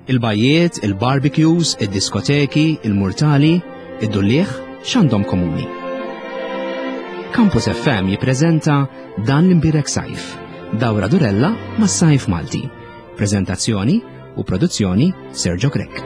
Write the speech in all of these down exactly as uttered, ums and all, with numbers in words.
Il-bajjiet, il-barbecues, id-diskoteki, il-murtali, id-dulliegħ, x'għandhom komuni? Campus F M jippreżenta Dan l-Imbierek Sajf, dawra durella mas-sajf Malti. Prezentazzjoni u produzzjoni, Sergio Grech.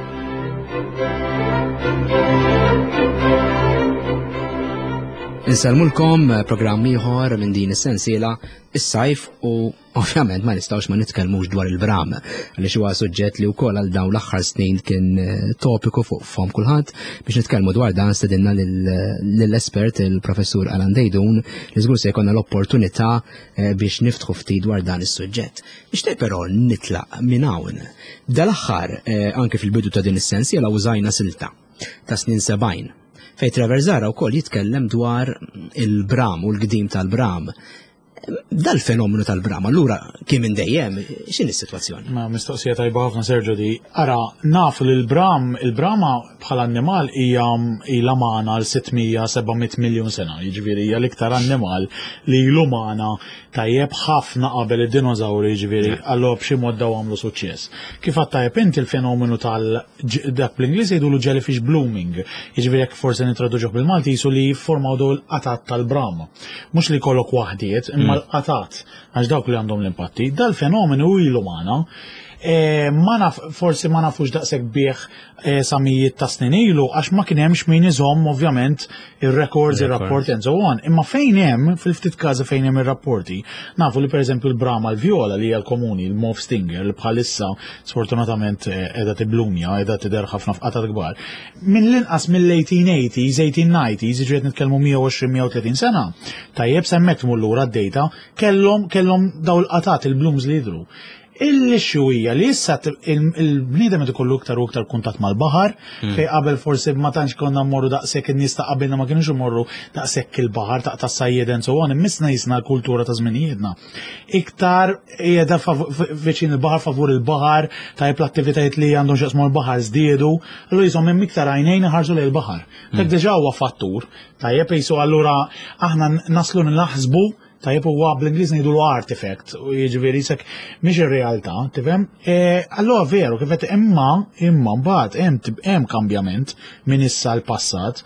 Insellmulkom, programm ieħor minn din is-sensiela is-sajf, u ovvjament ma nistgħux ma nitkellmux dwar il-bram, għaliex huwa suġġett li wkoll għal dawn l-aħħar snin kien eh, topiku fuq fom kulħadd. Biex nitkellmu dwar dan stedinna lill-espert, il-professur Alan Deidun, li żgur se jkollna l-opportunità eh, biex niftħu ftit dwar dan is-suġġett. Nixtieq però nitlaq minn hawn. Dal-aħħar, eh, anke fil-bidu ta' din is-sensiela, użajna silta ta' snin sebgħin fejn Trevor Zahra wkoll jitkellem dwar il-bram u l-gdim tal-bram. Dal-fenomenu tal-bram, allura kien minn dejjem, x'inhi s-sitwazzjoni? Ma mistoqsija tajba ħafna, Sergio, di. Ara, naf li l-bram, il-brama bħala annimal hija ilha magħna għal sitt mija seba' mitt miljun sena, jiġifieri hija l-iktar annimal li ilu magħna, tajjeb, ħafna qabel id-dinożawri, jiġifieri allura b'xi mod daw għamlu suċċess. Kif għedt tajjeb inti, il-fenomenu tal dak bl-Ingliż jgħidulu jellyfish blooming, jiġifieri jekk forsi nitraduġuh bil-Malti jisu li jiffurmaw daw il-qatat tal-bram. Mhux li jkollok waħdiet, imma l-qatat, għax dawk li għandhom l-impatti. Dal-fenomenu ilu magħna. E, ma naf, forsi ma nafux daqshekk bih e, sa mijiet ta' snin ilu, għax ma kien hemmx min iżomm ovvjament ir-records, ir-rapporti and so on. Imma fejn hemm, fil-ftit każi fejn hemm ir-rapporti, nafu li pereżempju l-brama l-vjola li hija l-komuni, il-mauve stinger, li bħalissa sfortunatament qiegħda tiblumja, qiegħda tidher ħafna f'qatat kbar. Minn l-inqas mill-eighteen eighties, eighteen nineties, ġifieri nitkellmu mija u għoxrin mija u tletin sena. Tajjeb, s'hemmhekk tmur lura d-data, kellhom kellhom daw l-qatat, il-blooms li jidhru. Il-issue hija li issa il-bniedem qed ikollu iktar u iktar kuntatt mal-baħar, hmm. fej qabel forsi ma tantx konna mmorru daqshekk, in-nies ta' qabilna ma kienux imorru daqshekk il-baħar ta' tas-sajjed and so on, imma issa l-kultura ta' żminijietna. Iktar qiegħda viċin il-baħar, favur il-baħar, tajb, l-attivitajiet li għandhom x'jaqsmu l-baħar żdiedu, allura jisom hemm iktar għajnejn iħarsu lejn il-baħar. Dak hmm. diġà huwa fattur, tajjeb, jisu allura aħna naslu naħsbu. Tajjeb, huwa bl-Ingliż ngħidu artifact, u jiġifieri sek mhix ir-realtà, tifhem? E, allura veru kif qed, imma imma mbagħad hemm hemm kambjament minn issa l-passat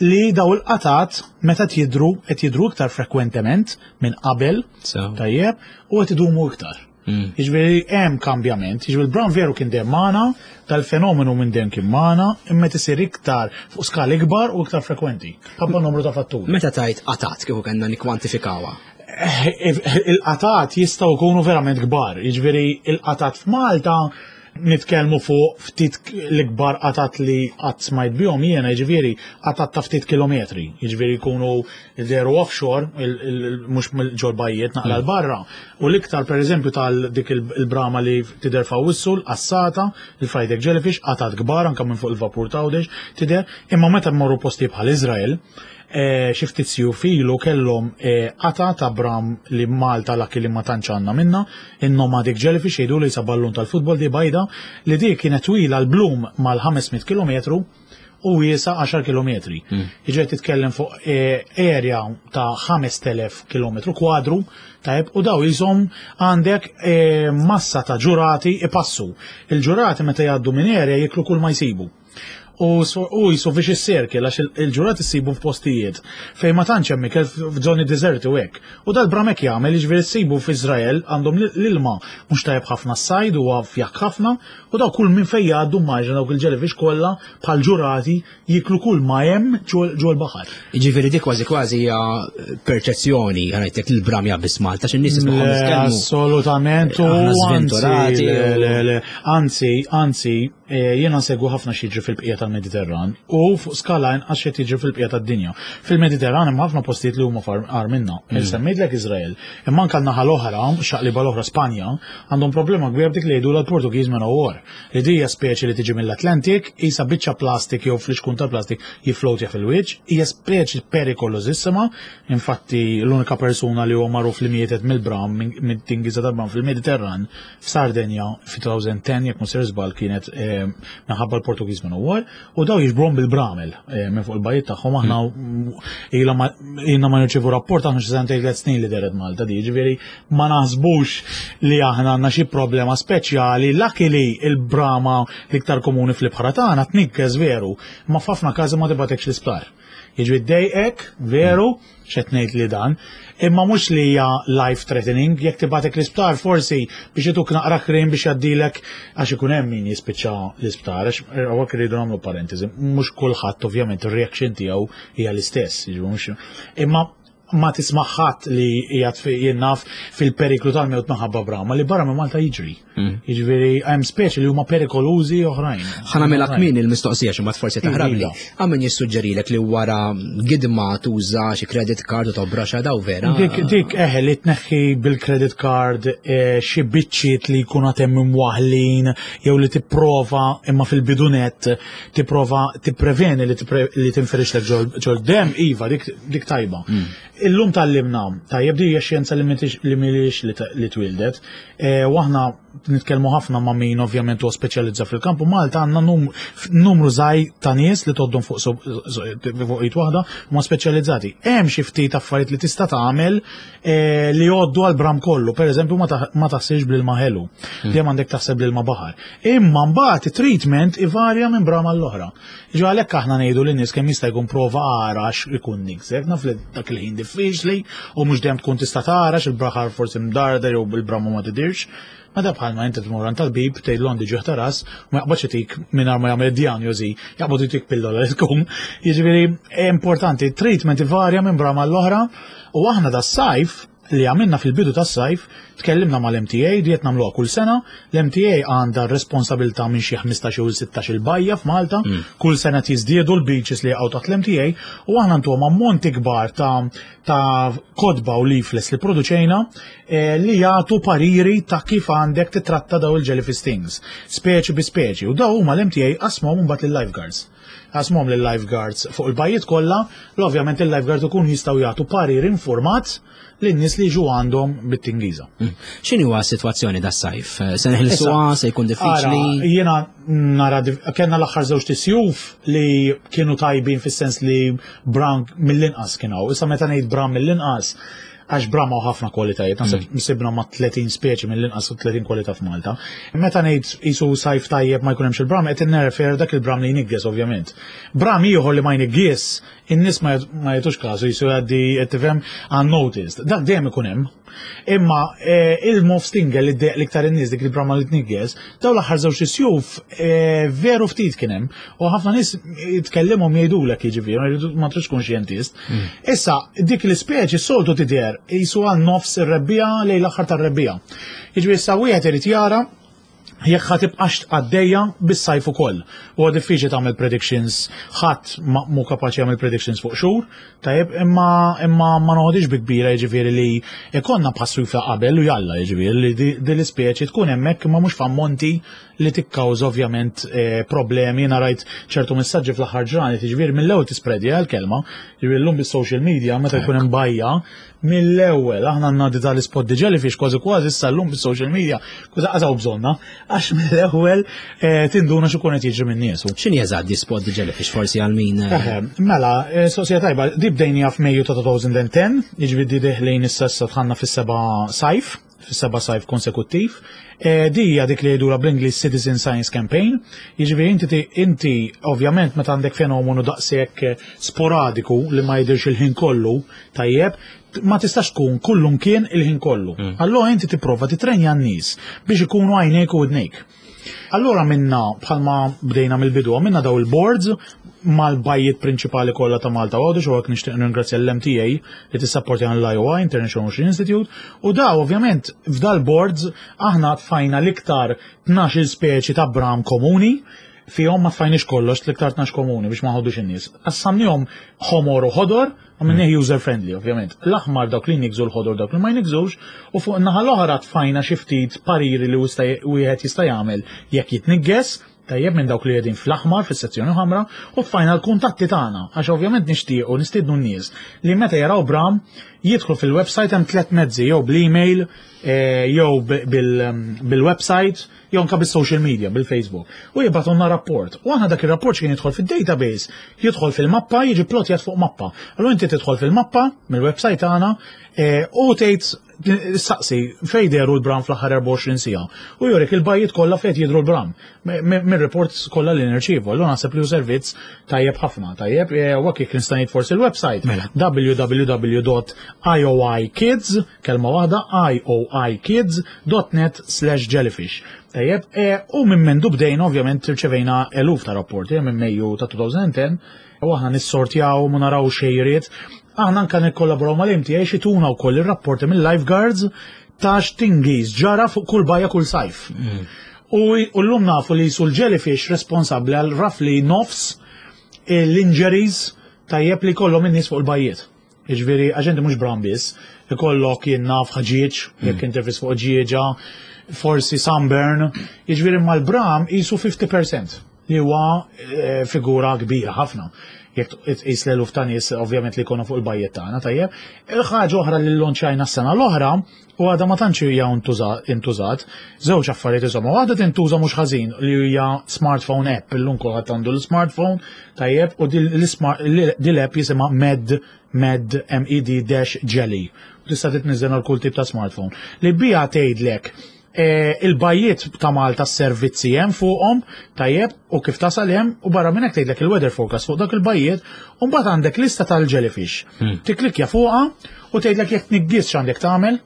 li daw il-qatat meta jidru qed jidru iktar frekwentement minn qabel, tajjeb, u qed idumu iktar. Mm. Jiġifieri hemm kambjament, jiġifieri l-bram veru kien dejjem magħna, tal-fenomenu minn dejjem kien magħna, imma tisir iktar fuq skala ikbar u iktar frekwenti. Ħabba numru ta' fatturi. Meta tajt qatat, kieku kellna nikkwantifikawha? Eh, il-qatat jistgħu jkunu verament kbar, jiġifieri il-qatat f'Malta nitkellmu fuq ftit l-ikbar qatat li qatt smajt bihom jiena, jiġifieri qatat ta' ftit kilometri, jiġifieri jkunu dehru offshore, mhux ġol-bajjiet, naqra 'l barra. U l-iktar pereżempju tal dik il-brama li tidher f'Awwissu, l-qassata, il-fried egg jellyfish, qatat kbar anke minn fuq il-vapur t'Għawdex tidher, imma meta mmorru posti bħal Izrael, eh, xi ftit sjuf ilu kellhom eh, qata ta' bram li Malta lucky li ma tantx għandna minna, in-nomadic jellyfish jgħidu, li sa ballun tal-futbol, di bajda, li di kienet twila l-bloom mal-ħames mitt kilometru u wiesa għaxar kilometri. Mm. Jiġifieri titkellem fuq eh, area ta' ħamest elef kilometru kwadru, tajb, u daw jisom għandek eh, massa ta' ġurati ipassu. Il-ġurati meta jgħaddu minn area jiklu kull ma jsibu. U u jisu vicious circle, għax il-ġurat issibu f'postijiet fejn ma tantx hemm ikel, f'żoni deserti u hekk. U dal-bram hekk jagħmel, jiġifieri ssibu f'Iżrael, għandhom l-ilma mhux tajjeb ħafna, s-sajd huwa fjakk ħafna, u daw kull minn fejn jgħaddu, maġna dawk il-jellyfish kollha bħal ġurati jiklu kull ma hemm ġol baħar. Jiġifieri dik kważi kważi hija perċezzjoni, ngħidlek, il-bram biss Malta, x'in-nies tismagħhom jitkellmu. Assolutament, u Aħna anzi, sventurati. Le, le, le, anzi, anzi, eh, jiena nsegwu ħafna x'jiġri fil-bqija tal-Mediterran u fuq skala inqas xi jiġri fil-bqija tad-dinja. Fil-Mediterran hemm ħafna postijiet li huma agħar minna. Mm. Semmejtlek Izrael, imma anke n-naħa l-oħra, xaqliba l-oħra, Spanja, għandhom problema kbira b'dik li jgħidu l-Portuguese man o war. Li di hija speċi li tiġi mill-Atlantik, isa biċċa plastik jew flixkun ta' plastik jiflowtja fil-wiċċ, hija speċi perikolosissima, infatti l-unika persuna li huwa magħruf li mietet mill-bram, minn tingiża tal-bram fil-Mediterran, f'Sardenja fi elfejn u għaxra, jekk mhux żball, kienet eh, minħabba l-Portuguese Man o' War, u daw jiġbruhom bil-bramel eh, minn fuq il-bajiet tagħhom. Aħna ilna ma ilna ma nirċievu rapport aħna xi sentejn, tliet snin li dehret Malta di, ġifieri ma naħsbux li aħna għandna xi problema speċjali. Luckily il-brama l-iktar komuni fl-ibħra tagħna tniggez veru, ma f'ħafna każi ma tibgħatekx l-isptar. Jiġri ddejqek, veru, x'qed ngħid li dan, imma mhux li hija life threatening. Jekk tibgħatek l-isptar forsi biex ituk naqra krim biex jgħaddilek, għax ikun hemm min jispiċċa l-isptar, għax hawnhekk irridu nagħmlu parentesi, mhux kulħadd ovvjament ir-reaction tiegħu hija l-istess, jiġifieri mhux, imma ma tisma' ħadd li qiegħed fi- jien naf fil-periklu tal-mewt minħabba brama li barra minn Malta jiġri. Jiġifieri hemm speċi li huma perikolużi oħrajn. Ħa nagħmilha kmin il-mistoqsija xi mbagħad forsi taħrabli. Iva. Hawn min jissuġġerilek li wara gidma tuża xi credit card u tobraxa, daw vera? Dik, dik eħe, li tneħħi bil-credit card eh, xi biċċiet li jkunu għatem imwaħlin jew li tipprova, imma fil-bidunet tipprova tippreveni li tipre- li tinferixlek ġol ġol dem, iva, dik, dik tajba. Illum tgħallimna, tajjeb, di hija xjenza li m'intix- li mhijiex li ta- li twildet, eh, u aħna nitkellmu ħafna ma' min ovvjament huwa speċjalizza fil-kamp u Malta għandna num- numru żgħir ta' nies li toddhom fuq so- so- fuq id waħda huma speċjalizzati. Hemm xi ftit affarijiet li tista' tagħmel eh, li jgħoddu għal bram kollu, pereżempju ma taħ- ma taħsibx bl-ilma ħelu, dejjem għandek taħseb bl-ilma baħar. Imma mbagħad it-treatment ivarja minn bram għall-oħra. Ġo għalhekk aħna ngħidu lin-nies kemm jista' jkun prova ara għax ikun niggżek, naf li dak il-ħin diffiċli u mhux dejjem tkun tista' tara il-baħar forsi mdarda jew bil-bramu ma tidirx. Ma da bħalma inti tmur għand tabib, tgħidlu għandi ġieħ ta' ras, u ma jaqbadx itik mingħajr ma jagħmel diagnosi, jaqbad itik pillola li tkun. Jiġifieri importanti, treatment ivarja minn brama l-oħra u aħna da sajf li għamilna fil-bidu tas-sajf, tkellimna mal-M T A, di qed nagħmluha kull sena. L-M T A għandha responsabilità minn xi ħmistax u sittax il-bajja f'Malta, kull sena jiżdiedu l-beaches li jaqgħu taħt l-M T A u aħna ntuhom ammonti kbar ta' ta' kotba u leaflets li produċejna eh, li jagħtu pariri ta' kif għandek titratta daw il-jellyfish stings, speċi bi speċi, u daw huma l-M T A qasmuhom mbagħad lill-lifeguards. Qasmuhom lill-lifeguards fuq il-bajjiet kollha, l ovvjament il-lifeguards ikun jistgħu jagħtu parir informat lin-nies li jiġu għandhom bit-tingiża. X'inhi huwa s-sitwazzjoni das-sajf? Se neħilsuha, se jkun diffiċli? Ara, jiena nara dif- kellna l-aħħar żewġ tisjuf li kienu tajbin fis-sens li bram mill-inqas kienu. Issa meta ngħid bram mill-inqas, għax bram hawn ħafna kwalitajiet, naħseb sibna ma' tletin speċi mill-inqas u tletin kwalità f'Malta. Meta ngħid isu sajf tajjeb ma jkun hemmx il-bram, qed nirrefer dak il-bram li jnigges ovvjament. Bram ieħor li ma jnigges, in-nies ma jat- ma jagħtux kasu, jisu jgħaddi, qed tifhem, unnoticed. Dak dejjem ikun hemm. Imma eh, il-mauve stinger li ddejjaq l-iktar in-nies, dik il-brama li tnigges, daw l-aħħar żewġ isjuf eh, veru ftit kien hemm u ħafna nies jitkellimhom jgħidulek, jiġifieri ma jridu- ma tridx tkun xjentist. Issa dik l-ispeċi soltu tidher jisu għal nofs ir-rebbiegħa lejn l-aħħar tar-rebbiegħa. Jiġifieri issa wieħed irid jara jekk ħa tibqax għaddejja bis-sajf ukoll. Huwa diffiċli tagħmel predictions, ħadd ma mhu kapaċi jagħmel predictions fuq xhur, tajjeb, imma imma ma noħodix bi kbira, jiġifieri li ikonna passu ta' qabel u jalla, jiġifieri li di di l-ispeċi tkun hemmhekk imma mhux f'ammonti li tikkawża ovvjament eh, problemi. Jiena rajt ċertu messaġġi fl-aħħar ġranet, jiġifieri mill-ewwel tispredja l-kelma, jiġifieri llum bis-social media meta jkun hemm bajja mill-ewwel aħna għandna di tal-ispot the jellyfish, kważi kważi issa llum bis-social media kważi qasaw bżonna għax mill-ewwel eh, tinduna x'ikun qed jiġri minn niesu. X'inhi eżatt di spot the jellyfish, forsi għal min eh, Eħe, mela, eh, sosja tajba, di bdejnija f'Mejju ta' elfejn u għaxra, jiġifieri di deħlin issa issa dħalna fis-seba' sajf, fis-seba' sajf konsekuttiv. Eh, Di hija dik li jgħidula bl-English Citizen Science Campaign, jiġifieri inti ti- inti ovvjament meta għandek fenomenu daqshekk eh, sporadiku li ma jidirx il-ħin kollu, tajjeb, ma tistax tkun kullum kien il-ħin kollu. Allora inti tipprova titrenja n-nies biex ikunu għajnejk u widnejk. Allora minna, bħalma bdejna mill-bidu, minna daw il-boards mal-bajjiet prinċipali kollha ta' Malta Għawdex, u għak nixtieq nirringrazzja l-M T A li tissapporti għan l-I O I, International Ocean Institute, u daw ovvjament f'dal-boards aħna tfajna l-iktar tnax-il speċi ta' bram komuni, fihom ma tfajniex kollox, l-iktar tnax komuni biex ma ħoddux in-nies. Qassamnihom ħomor u ħodor, għamilnieh user friendly ovvjament. L-aħmar dawk li jniggżu, l-ħodor dawk li ma jniggżux, u fuq naħa l-oħra tfajna xi ftit pariri li wista- wieħed jista' jagħmel jekk jitnigges. Tajjeb, minn dawk li qegħdin fl-aħmar, fis-sezzjoni ħamra, u tfajna l-kuntatti tagħna, għax ovvjament nixtiequ nistiednu n-nies li meta jaraw bram jidħlu fil-website. Hemm tliet mezzi: jew bl-email, eh, jew bil-website, jew anke bis-social media, bil-Facebook. U jibagħtulna rapport. U aħna dak ir-rapport kien jidħol fid-database, jidħol fil-mappa, jiġi plotjat fuq mappa. Allura inti tidħol fil-mappa mill-website tagħna eh, u tgħid, saqsi fej dehru l-bram fl-aħħar erbgħa u għoxrin siegħa. U jurik il-bajjiet kollha fejn jidhru l-bram. Mir-reports kollha li nirċievu. Allura naħseb li hu servizz tajjeb ħafna. Tajjeb, e, u jekk nista' ngħid forsi il-website Mela. W W W dot I O I kids, kelma waħda, I O I kids dot net slash jellyfish. Tajjeb, e, u minn mindu bdejna ovvjament rċevejna eluf ta' rapporti minn Mejju ta' elfejn u għaxra, u aħna nissortjaw u naraw xejriet. Aħna anka nikkollaboraw mal-M T A jtuna wkoll ir-rapporti mill-lifeguards ta' x'tingiż ġara fuq kull bajja kull sajf. U u llum nafu li sul jellyfish responsabbli għal roughly nofs l-injuries, tajjeb, li kollhom in-nies fuq il-bajjiet. Jiġifieri, aġenti mhux bram biss, ikollok jien naf ħaġieġ, jekk interfis fuq ġieġa, forsi sunburn, jiġifieri mal-bram jisu fifty percent li huwa eh, figura kbira ħafna. Jekk tqis l-eluf ta' nies ovvjament li jkunu fuq il-bajjiet tagħna, tajjeb. Il-ħaġa oħra li llonċajna s-sena l-oħra u għadha ma tantx hija intużat, żewġ affarijiet insomma, waħda tintuża mhux ħażin li hija smartphone app, illum kulħadd għandu l-smartphone, tajjeb, u din l-app jisimha Med Med M E D dash Jelly. Tista' titniżel għal kull tip ta' smartphone. Li bija tgħidlek eh, il-bajjiet ta' Malta, s-servizzi hemm fuqhom, tajjeb, u kif tasal hemm, u barra minn hekk tgħidlek il-weather forecast fuq dak il-bajjiet, u mbagħad għandek lista tal-jellyfish. Tiklikja fuqha u tgħidlek jekk tniggis x'għandek tagħmel.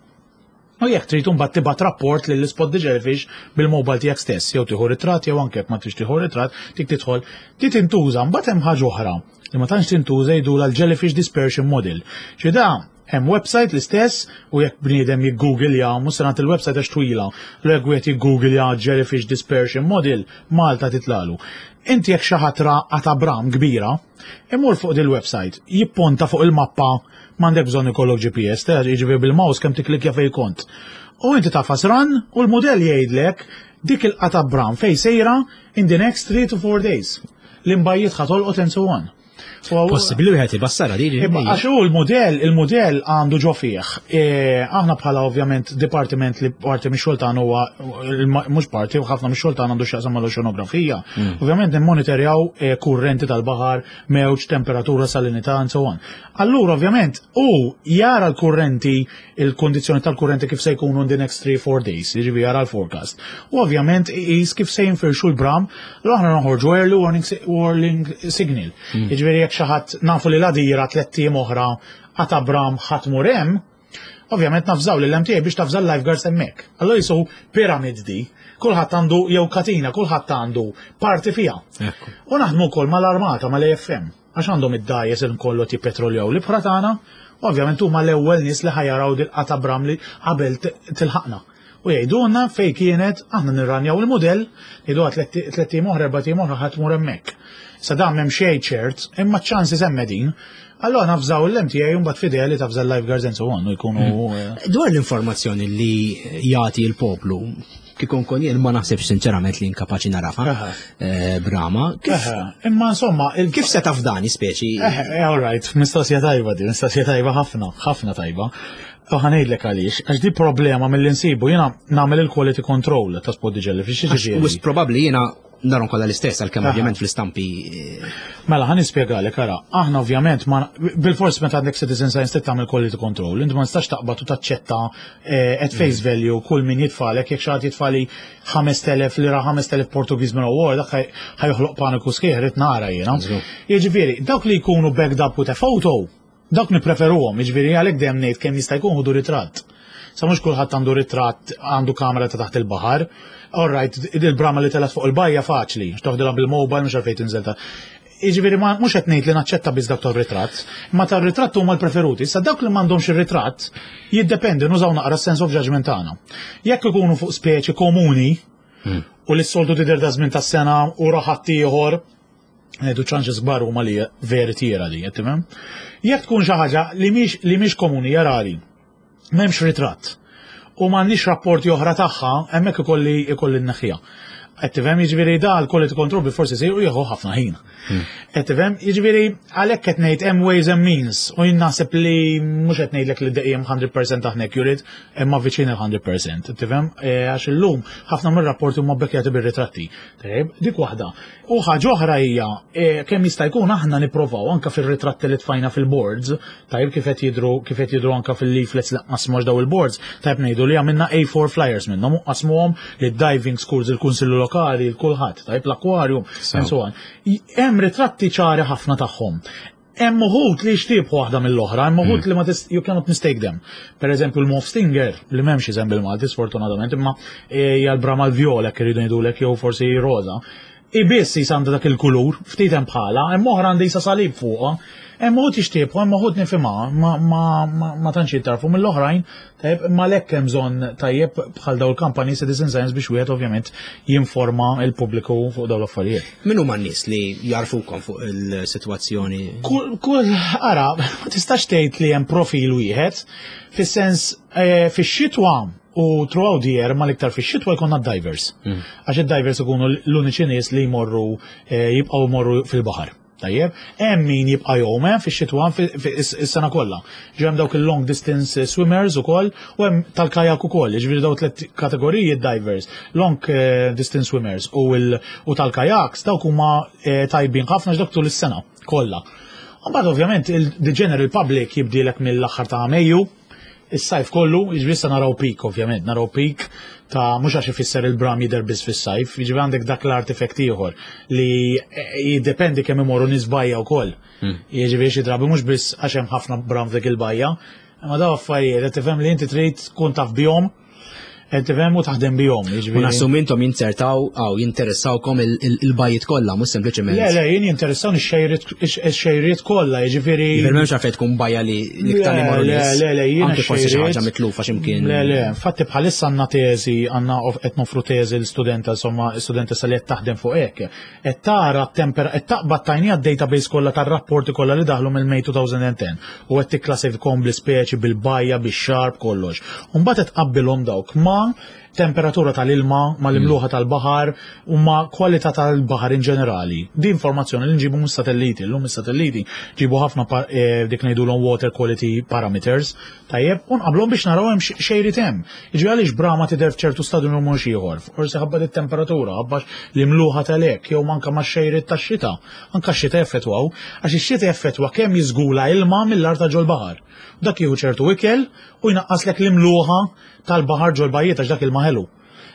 U jekk trid imbagħad tibgħat rapport lil Spot the Jellyfish bil-mobile tiegħek stess, jew tieħu ritratt jew anke jekk ma tridx tieħu ritratt, tik tidħol, ti tintuża. Mbagħad hemm ħaġa oħra li ma tantx tintuża, jgħidulha l-Jellyfish Dispersion Model. Xi da hemm website l-istess u jekk bniedem jiggooglja, mhux se nagħti il-website għax twila, l jekk wieħed jiggooglja Jellyfish Dispersion Model, Malta titlalu. Inti jekk xi ħadd ra qatgħa bram kbira, imur fuq dil-website, jipponta fuq il-mappa, m'għandek bżonn ikollok G P S, ta' jiġifieri bil-mouse kemm tiklikja fejn kont. U inti tagħfas run u l-modell jgħidlek dik il-qatgħa bram fej sejra in the next three to four days. L-imbajjiet ħa tolqot and so on. So, Possibbli wieħed ibassara di. Imma għax hu l-modell, il-modell għandu ġo fih. E, aħna bħala ovvjament dipartiment li parti mix-xogħol tagħna huwa mhux parti, u ħafna mix-xogħol tagħna għandu x'jaqsam mal-oċeanografija. Ovvjament nimmonitorjaw e, kurrenti tal-baħar, mewġ, temperatura, salinità and so on. Allura ovvjament u jara l-kurrenti, il-kondizzjoni tal-kurrenti kif se jkunu in the next three four days, jiġifieri jara l-forecast. U ovvjament iqis kif se jinfirxu l-bram, l aħna noħorġu early warning, si- warning signal. Jiġifieri jekk xi ħadd nafu li l-Għadira tlett ijiem oħra qatgħa bram ħa tmur hemm, ovvjament nafżaw l-M T A biex tafża l-lifeguards hemmhekk. Allora jisu pyramid di, kulħadd għandu jew katina, kulħadd għandu parti fiha. Ekku. U naħdmu wkoll mal-armata, mal-A F M, għax għandhom id-dgħajjes kollu jippetroljaw l-ibħra tagħna, ovvjament huma l-ewwel nies li ħa jaraw dil-qatgħa bram li qabel t- tilħaqna. U jgħidulna fej kienet, aħna nirranjaw il-modell, jgħidu tlett ijiem oħra, erbat ijiem oħra ħa tmur hemmhekk. Sa dan m'hemm xejn ċert, imma ċ-chances hemm din. Allora nafżaw l-M T A u mbagħad fideli tafża l-lifeguards and so on u jkunu eh, Dwar l-informazzjoni li jagħti l-poplu, kieku nkun jien ma naħsibx sinċerament li inkapaċi narafa Aha. eh, brama. Kif, eh, Imma insomma, il- kif se taf dani speċi? Eh, eh, all right, mistoqsija tajba di, mistoqsija tajba ħafna, ħafna tajba. U ħa ngħidlek għaliex, għax di problema mill insibu jiena nagħmel il-quality control ta' Spot the Jellyfish, jiġifieri. Wis probabbli jiena narahom kollha l-istess għalkemm Aha. ovvjament fl-istampi eh, Mela, ħa nispjegalek, ara, aħna ovvjament, ma, bil-fors meta għandek citizen science trid tagħmel quality control, inti ma nistax taqbad u taċċetta eh, at face value kull min jitfagħlek, jekk xi ħadd jitfagħli ħamest elef li ra ħamest elef Portuguese man o' war, dak ħaj- ħa joħloq paniku sħiħ, rrid nara jiena. Żgur. Jiġifieri, dawk li jkunu backed up with a photo, dawk nippreferuhom, jiġifieri għalhekk dejjem ngħid kemm jista' jkun ħudu ritratt. Sa mhux kulħadd għandu ritratt, għandu kamera ta' taħt il-baħar. All right, il-brama li telgħet fuq il-bajja faċli, toħdilha bil-mobile, mhux għalfejn tinżel ta' Jiġifieri ma mhux qed ngħid li naċċetta biss dak tar-ritratt, ma tar-ritratt huma l-preferuti. Issa dawk li m'għandhomx ir-ritratt jiddependi, nużaw naqra sense of judgment tagħna. Jekk ikunu fuq speċi komuni u li s-soltu tidher da żmien tas-sena u raħat ieħor, ngħidu chances kbar huma li veritiera li, qed tifhem? Jekk tkun xi ħaġa li mhix li mhix komuni, jarali, m'hemmx ritratt u m'għandniex rapporti oħra tagħha, hemmhekk ikolli ikolli nneħħiha. Qed tifhem, jiġifieri da l-quality control bil-forsi jsir u jieħu ħafna ħin. Qed tifhem, jiġifieri għalhekk qed ngħid hemm ways and means u jien naħseb li mhux qed ngħidlek li dejjem mija fil-mija aħna accurate, imma viċin il-mija fil-mija. Tifhem, Eh, għax illum ħafna mir-rapporti huma bekkjati bir-ritratti. Tajjeb, dik waħda. U ħaġa oħra hija eh, kemm jista' jkun aħna nipprovaw anke fir-ritratti li tfajna fil-boards, tajjeb, kif qed jidru kif qed jidru anke fil-leaflets li qasmu daw il-boards, tajjeb, ngħidu li għamilna A four flyers minnhom u qasmuhom lid diving schools, il-kunsillu lokali, il-kulħadd, tajjeb, l-aquarium, and so on. I- Hemm ritratti ċari ħafna tagħhom. Hemm uħud li jixtiebħu waħda mill-oħra, hemm uħud li ma tis, you cannot mistake them. Per eżempju l-Mauve Stinger, li m'hemmx isem bil-Malti sfortunatament, imma hija l-brama l-vjola jekk iridu ngħidulek jew forsi roza. I biss jisanda dak il-kulur, ftit hemm bħala, hemm oħra għandha jisa salib fuqha. Hemm uħud jixtiebħu, hemm uħud nifhimha, ma, ma, ma, ma tantx jittarfu mill-oħrajn, tajjeb, imma lek hemm bżonn tajjeb bħal daw il-kampani Citizen Science biex wieħed ovvjament jinforma il-pubbliku fuq daw l-affarijiet. Min huma n-nies li jarfukom fuq il-sitwazzjoni? Kull, kull, ara, ma tistax tgħid li hemm profil wieħed, fis-sens eh, fix-xitwa u throughout the year, ma l-iktar fix-xitwa jkollna divers. Għax id-divers ikunu l-uniċi nies li jmorru eh, jibqgħu jmorru fil-baħar. Tajjeb, hemm min jibqa' jgħum fix-xitwa is-sena kollha. Ġi hemm dawk il-long distance swimmers ukoll u hemm tal-kajak ukoll, jiġifieri daw tliet kategoriji, divers, long eh, distance swimmers u u tal-kajaks, dawk huma eh, tajbin ħafna x'dak tul is-sena kollha. Mbagħad ovvjament il-the general public jibdilek mill-aħħar ta' Mejju, is-sajf kollu, jiġifieri issa naraw peak ovvjament, naraw peak ta' mhux għax ifisser il-bram jidher biss fis-sajf, jiġifieri għandek dak l-artifact ieħor li jiddependi kemm imorru nies bajja wkoll. Hmm. Jiġifieri xi drabi mhux biss għax hemm ħafna bram f'dik il-bajja, imma daw affarijiet qed tifhem li inti trid tkun taf bihom, qed tifhem, u taħdem bihom. U nassum intom jinzertaw għaw jinteressawkom il-bajjiet kollha, mhux sempliċement. Le, le, jien jinteressawni x-xejriet kollha, jiġifieri. Jiġifieri m'hemmx għalfejn tkun bajja li l-iktar li morru Le, le, le, jiena Anke forsi xi ħaġa mitlufa x'imkien. Le, le, infatti bħalissa għandna teżi, għandna qed nofru teżi l-studenta, insomma, studenta li qed taħdem fuq hekk. Qed tara temper, qed taqbad tajnija d-database kollha tar-rapporti kollha li daħlu mill-May elfejn u għaxra u qed tikklassifikhom bl-ispeċi, bil-bajja, bix-xarb, kollox. U mbagħad qed tqabbilhom dawk ma' temperatura tal-ilma, ma l-imluħa tal-baħar u ma kwalità tal-baħar in ġenerali. Di informazzjoni li nġibu mis-satelliti, l-lum mis-satelliti ġibu ħafna eh, dik ngħidulhom water quality parameters, tajjeb, u nqablhom biex naraw hemm xejriet hemm. Jiġri għaliex brama tidher f'ċertu stadju u mhux ieħor. Forsi ħabba it-temperatura, ħabba l-imluħa tal-ek, jew manka ma' xejriet tax-xita. Anka x-xita effettwaw, għax ix-xita effettwa kemm jiżgula ilma mill-art ta' ġol-baħar. Dak jieħu ċertu ikel u jnaqqaslek l-imluħa tal-baħar ġol-bajjiet għax dak il ħelu.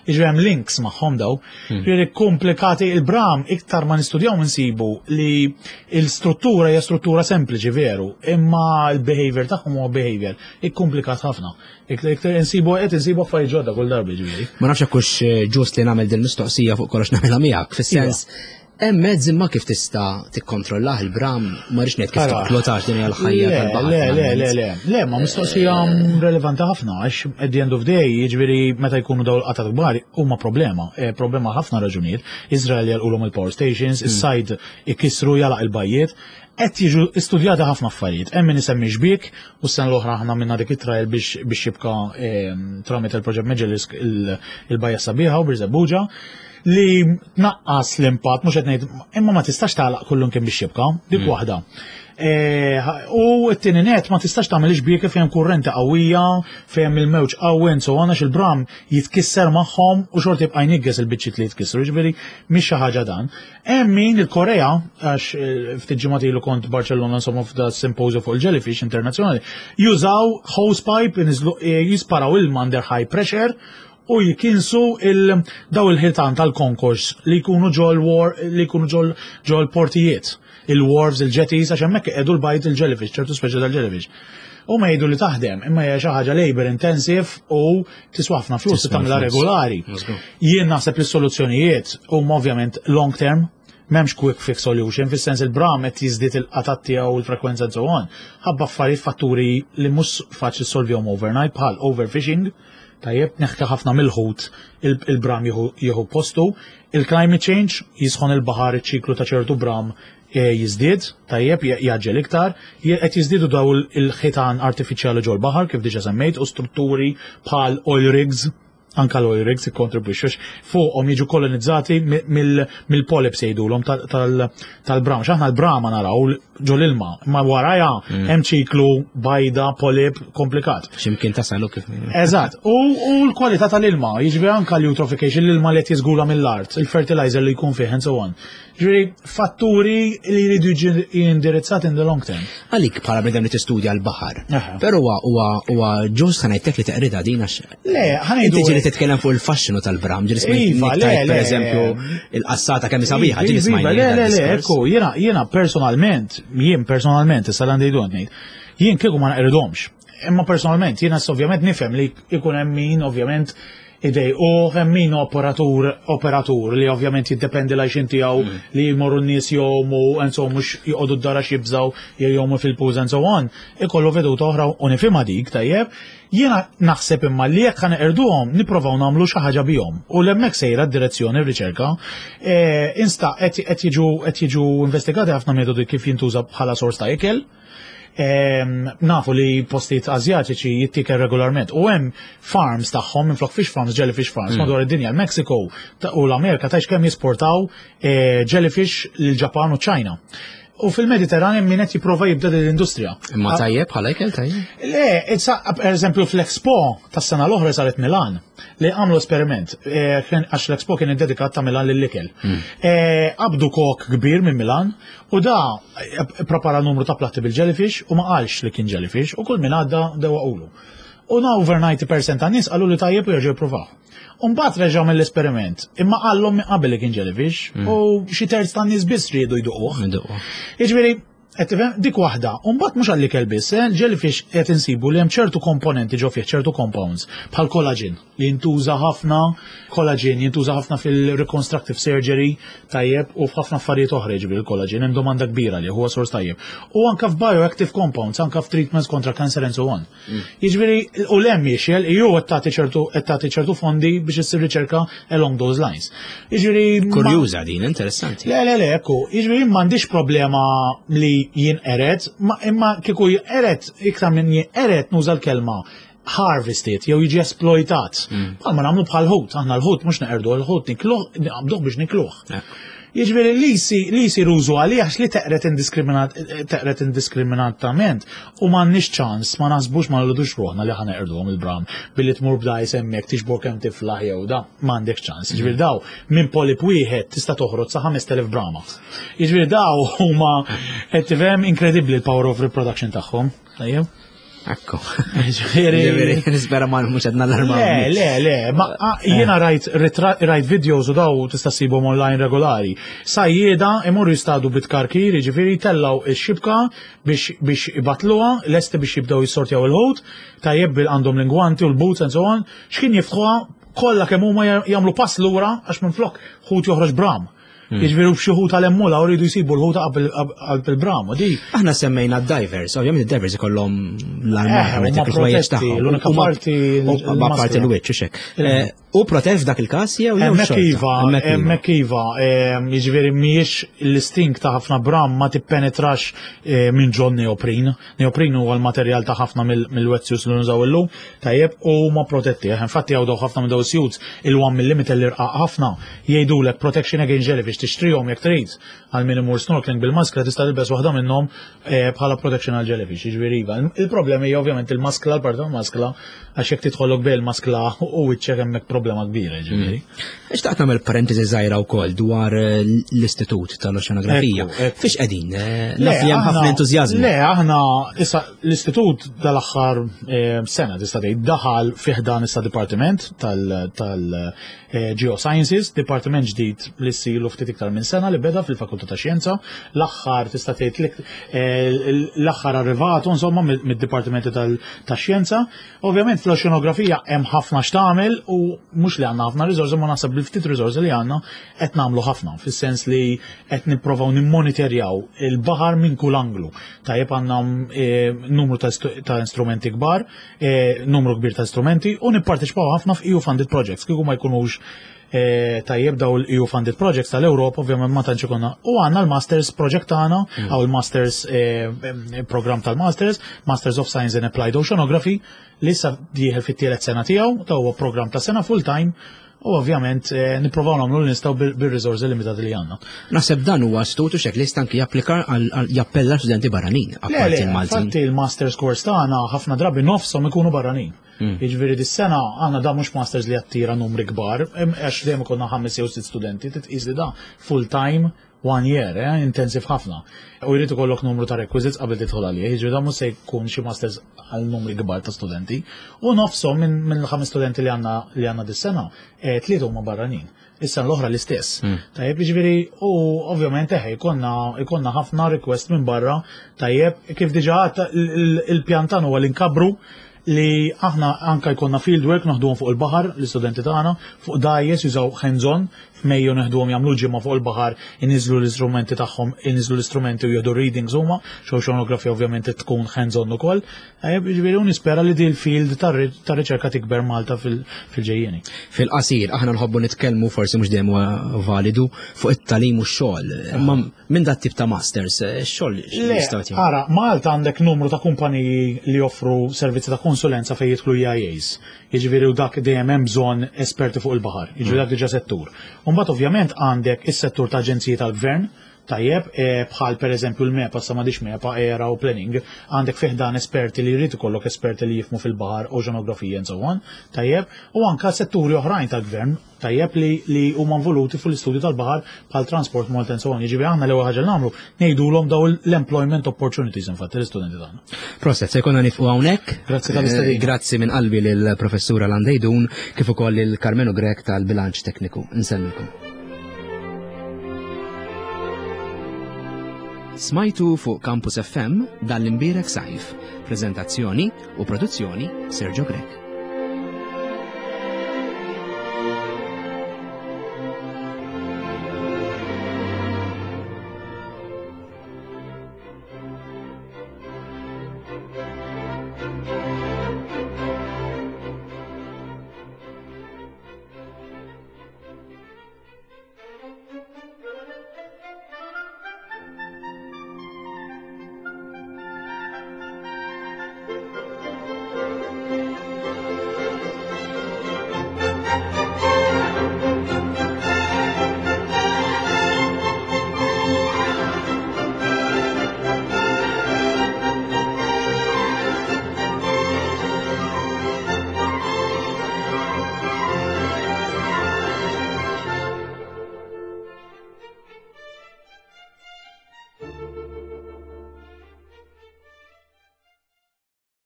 Jiġri hemm links magħhom daw. Hmm. Jiġri komplikati il-bram, iktar ma nistudjaw nsibu li l-struttura hija struttura sempliċi veru, imma l-behavior tagħhom huwa behavior ikkomplikat ħafna. Iktar insibu qed insibu affarijiet ġodda kull darba ġifieri. Ma nafx hekk hux eh, ġust li nagħmel din mistoqsija, fuq kollox nagħmilha miegħek, fis-sens hemm mezz imma kif tista' tikkontrollah il-bram, ma rridx ngħid kif toqtlotax, din hija l-ħajja Le, tal-baħar. Le, le, le, finalment. le, le, ma mistoqsija relevanti ħafna, għax at the end of the day, jiġifieri meta jkunu daw l-qatat kbar, huma problema, eh, problema ħafna raġunijiet. Izrael jalqulhom il-power stations, is-sajd ikissru jalaq il-bajjiet, qed jiġu istudjati ħafna affarijiet. Hemm min isemmi xbiek, u s-sena l-oħra aħna minna dik it-trial biex biex jibqa ehm, tramite il-proġett Magellisk il-bajja sabiħa u Birżebbuġa li tnaqqas l-impatt, mhux qed ngħid, imma ma tistax tagħlaq kullum kien biex jibqa, dik waħda. E, U t-tieni net, ma tistax tagħmel xbieke fejn kurrenti qawwija, fejn il-mewġ qawwi and so on, għax il-bram jitkisser magħhom u xorta jibqa' jnigges il-biċċiet li jitkissru, jiġifieri mhix xi ħaġa dan. Hemm min il-Korea, għax eh, ftit ġimgħat ilu kont Barcellona, insomma, f'da symposium fuq il-jellyfish internazzjonali, jużaw hose pipe, inizlu- eh, jisparaw ilma under high pressure u jikinsu il daw il-ħitan tal-konkors li jkunu ġol war li jkunu ġol ġol portijiet, il-wharves, il-jetties, għax hemmhekk qiegħdu l-bajd il-jellyfish, ċertu speċi tal-jellyfish. U ma jgħidu li taħdem, imma hija xi ħaġa labor intensive u tiswa ħafna flus Tiswa tagħmilha flus. regolari. Mażgur. Jien naħseb li s-soluzzjonijiet huma ovvjament long term, m'hemmx quick fix solution, fis-sens il-bram qed jiżdied il-qatat tiegħu u l-frekwenza and so on. Ħabba affarijiet, fatturi li mhux faċli solvihom overnight bħal overfishing, tajjeb, neħka ħafna mill-ħut, il- il-bram jieħu jieħu postu, il-climate change, jisħon il-baħar, iċ-ċiklu ta' ċertu bram eh, jiżdied, tajjeb, jaġġel iktar, je- qed jiżdiedu daw il-ħitan artifiċjali ġol baħar kif diġà semmejt u strutturi bħal oil rigs. Anka l-oil rigs ikkontribwixxu fuqhom, jiġu kolonizzati mill-polyps jgħidulhom tal-bram. X'aħna l-brama naraw ġol ilma, ma warajha mm. hemm ċiklu bajda, polyp komplikat. X'imkien tasalu kif. Eżatt. U l-kwalità tal-ilma, jiġifieri anka l-eutrophication, l-ilma li qed jiżgula mill-art, il-fertilizer li jkun fih and so on. Ġifieri fatturi li jridu jiġu indirizzati in the long term. Għalik bħala bnedem li tistudja l-baħar. Però huwa huwa ġust ħa ngħidlek li teqrida din għax. Le, ħa ngħidu. Inti ġieli titkellem fuq il-faxxinu tal-bram, ġieli Iva, smajt le, per le. eżempju il-qassata kemm sabiħa, ġieli Iva, smajt. Le, le, le, ekku, jiena jiena personalment, jien personalment, issa l-għandi ngħid, jien kieku ma naqridomx. Imma personalment, jiena ovvjament nifhem li jkun hemm min ovvjament idej u hemm min operatur operatur li ovvjament jiddependi l-għajxin tiegħu mm. li jmorru n-nies jomu and so mhux joqogħdu d-dara jibżaw jew jomu fil-pools and so on, ikollu veduta oħra u nifhimha dik tajjeb. Jiena naħseb imma li jekk ħa nipprovaw nagħmlu xi ħaġa bihom u l-hemmhekk sejra d-direzzjoni r-riċerka. E, insta qed jiġu qed jiġu investigati ħafna metodi kif jintuża bħala sors ta' ikel. Nafu li postijiet Azjatiċi jittiker regolarment u hemm farms tagħhom minflok fish farms, jellyfish farms mm. madwar id-dinja, l-Mexico u l-Amerika tajx kemm jisportaw eh, jellyfish lil-Ġapan u China. U fil-Mediterran min qed jipprova jibda l-industrija. Imma tajjeb bħala ikel tajjeb? Le, per eżempju fl-Expo tas-sena l-oħra saret Milan li għamlu esperiment, eh, għax l-Expo kien dedikat ta' Milan lill-ikel. Hmm. Eh, qabdu kok kbir minn Milan u da eh, prepara numru ta' platti bil-jellyfish u ma qalx li kien jellyfish u kull min għadda dewaqulu. U na over disgħin fil-mija ta' nies qalu li tajjeb u jerġgħu jippruvaw. Umbagħad reġgħu mill-esperiment, imma qallhom minn qabel li kien jellyfish mm. u xi terz tan nies biss riedu jduquh. Jiġifieri, qed tifhem dik waħda, u mbagħad mhux għall-ikel biss, eh, jellyfish qed insibu li hemm ċertu komponenti ġo fih, ċertu compounds, bħal collagen li jintuża ħafna, collagen jintuża ħafna fil-reconstructive surgery tajjeb u f'ħafna affarijiet oħra jiġifieri il-collagen hemm domanda kbira li huwa sors tajjeb. U anka f'bioactive compounds, anka f'treatments kontra cancer and so on. Mm. Jiġifieri u l-hemm jiexel, ju qed tagħti ċertu qed tagħti ċertu fondi biex issir riċerka along those lines. Jiġifieri Kurjuża din, interessanti. Le, le, le, ekku, jiġifieri m'għandix problema li jinqered, imma kieku jinqered iktar minn jinqered nuża l-kelma harvested jew jiġi esploitat. Mm. Bħalma nagħmlu bħal ħut, aħna l-ħut mhux neqerdu l-ħut nikluh, naqbduh biex nikluh. Jiġifieri li li jsir użu għalih għax li teqret indiskriminat teqret indiskriminatament u m'għandniex ċans ma naħsbux ma nilludux ruħna li ħa neqirduhom il-bram billi tmur b'dajs hemmhekk tiġbor kemm tiflaħ jew da m'għandek ċans. Jiġifieri daw minn polip wieħed tista' toħroġ sa ħamest elef brama. Jiġifieri daw huma qed tifhem inkredibbli l-power of reproduction tagħhom. Tajjeb. Ekku. Ġifieri. Nispera ma mhux qed nallarma. Le, le, le, ma jiena rajt rajt videos u daw tista' ssibhom online regolari. Sajjieda imorru jistadu bit-karkir, jiġifieri tellaw ix-xibka biex biex ibatluha, lesti biex jibdew jissortjaw il-ħut, tajjeb bil għandhom l-ingwanti u l-boots and so on, x'kien jiftħuha kollha kemm huma jagħmlu pass lura għax minflok ħut joħroġ bram. Hmm. Jiġifieri b'xi ħut għal-emmula u rridu jsibu l-ħuta qabel il-bram, u di. Aħna semmejna divers, ovvjament id-divers ikollhom l-armar, eh, il-ħwejjeġ tagħhom. L-unika parti. Ma parti l-wiċċ u xek. Eh, u protett f'dak il-każ jew jew Hemmhekk iva, hemmhekk iva, jiġifieri mhijiex l-isting ta' ħafna bram ma tippenetrax eh, minn ġon neoprin. Neoprin huwa l-materjal ta' ħafna mill-wetsuits li nużaw illum, tajjeb u ma protetti. Infatti hawn daw ħafna minn daw suits il-one millimeter li rqaq ħafna jgħidulek protection against jellyfish tixtrihom jekk trid għal min imur snorkeling bil-maskla tista' tilbes waħda minnhom eh, bħala protection għal jellyfish. Jiġifieri iva. Il-problema hija ovvjament il-maskla, l-parti tal-maskla għax jekk tidħollok bejn il-maskla u wiċċek hemmhekk problema kbira ġifieri. Mm. Xtaqt nagħmel parentesi żgħira wkoll dwar eh, l-Istitut tal-Oċeanografija. Fiex qegħdin? Eh, naf li hemm ħafna entużjażmu. Le, aħna issa l-istitut dal-aħħar sena tista' tgħid daħal fih dan issa dipartiment tal-Geosciences, dipartiment ġdid li ssilu ftit iktar minn sena li beda fil-Fakultà ta' Xjenza, l-aħħar tista' tgħid l-aħħar arrivatu insomma mid-dipartimenti tal-xjenza. Ovvjament fl-oċeanografija hemm ħafna x'tagħmel u mhux li għandna ħafna riżorsi ma naħseb bil-ftit riżorsi li għandna qed nagħmlu ħafna fis-sens li qed nipprovaw nimmonitorjaw il-baħar minn kull anglu. Tajjeb għandna eh, numru ta' instrumenti kbar, eh, numru kbir ta' strumenti u nipparteċipaw ħafna f'E U funded projects kieku ma jkunux Eh, tajjeb daw l-E U funded projects tal-Europa, ovvjament ma tantx ikonna. U għandna l-Masters project tagħna, għaw il-Masters eh, eh, program tal-Masters, Masters of Science in Applied Oceanography, li issa dieħel fit-tielet sena tiegħu, ta' huwa program ta' sena full time, u ovvjament eh, nipprovaw nagħmlu li nistgħu bil- bil-riżorsi limitati li għandna. Naħseb dan huwa astut u xek li jista' anki japplika għal għal- jappella studenti barranin, Le, apparti le, il-Maltin. infatti il-Masters course tagħna ħafna drabi nofshom ikunu barranin. Jiġifieri dis-sena għandna da mhux masters li attira numri kbar, em, għax dejjem ikollna ħames jew sitt studenti, titqis li da full time one year, eh, intensive ħafna. U jrid ikollok numru ta' requisites qabel tidħol għalih, jiġifieri da mhux se jkun xi masters għal numri kbar ta' studenti. U nofshom minn minn il-ħames studenti li għandna li għandna dis-sena, eh, tlieta huma barranin. Issa l-oħra l-istess. Tajjeb, jiġifieri, u ovvjament eħe, jkollna jkollna ħafna request minn barra, tajjeb, kif diġà għadt, il- il- il-pjan huwa li nkabru li aħna anka jkollna fieldwork naħduhom fuq il-baħar l-istudenti tagħna fuq dgħajjes jużaw hands-on. F'Mejju neħduhom jagħmlu ġimgħa fuq il-baħar, iniżlu l-istrumenti tagħhom, iniżlu l-istrumenti u jieħdu readings huma, oceanografija ovvjament tkun hands-on ukoll. Tajjeb, jiġifieri u nispera li di l-field tar riċerka tikber Malta fil- fil-ġejjieni. Fil-qasir, aħna nħobbu nitkellmu, forsi mhux dejjem huwa validu, fuq it-tagħlim u x-xogħol. Imma minn dat tip ta' masters, eh, x-xogħol Le, jistgħu jagħti? Ara, Malta għandek numru ta' kumpaniji li joffru servizzi ta' konsulenza fejn jidħlu E I As. Jiġifieri u dak dejjem hemm bżonn esperti fuq il-baħar. Jiġifieri dak diġà settur. U mbagħad ovvjament għandek is-settur ta' aġenziji tal-gvern, tajjeb, eh, bħal per eżempju l-MEPA, sa m'għadix MEPA, ERA u planning, għandek fih dan esperti li jrid ikollok esperti li jifhmu fil-baħar, oceanografija and so on, tajjeb, u anka setturi oħrajn tal-gvern, tajjeb, li, li huma involuti fuq l-istudju tal-baħar bħal Transport Malta and so on. Jiġifieri aħna l-ewwel ħaġa li nagħmlu ngħidulhom daw l-employment opportunities infatti l-istudenti tagħna. Proset, se jkollna nieqfu hawnhekk. Grazzi tal-istedina. Eh, Grazzi minn qalbi lill-professura Landejdun kif ukoll lil Karmenu Grek tal-bilanċ tekniku. Nsellmilkom. Smajtu fuq Campus F M dan l-imbierek sajf. Prezentazzjoni u produzzjoni Sergio Grek.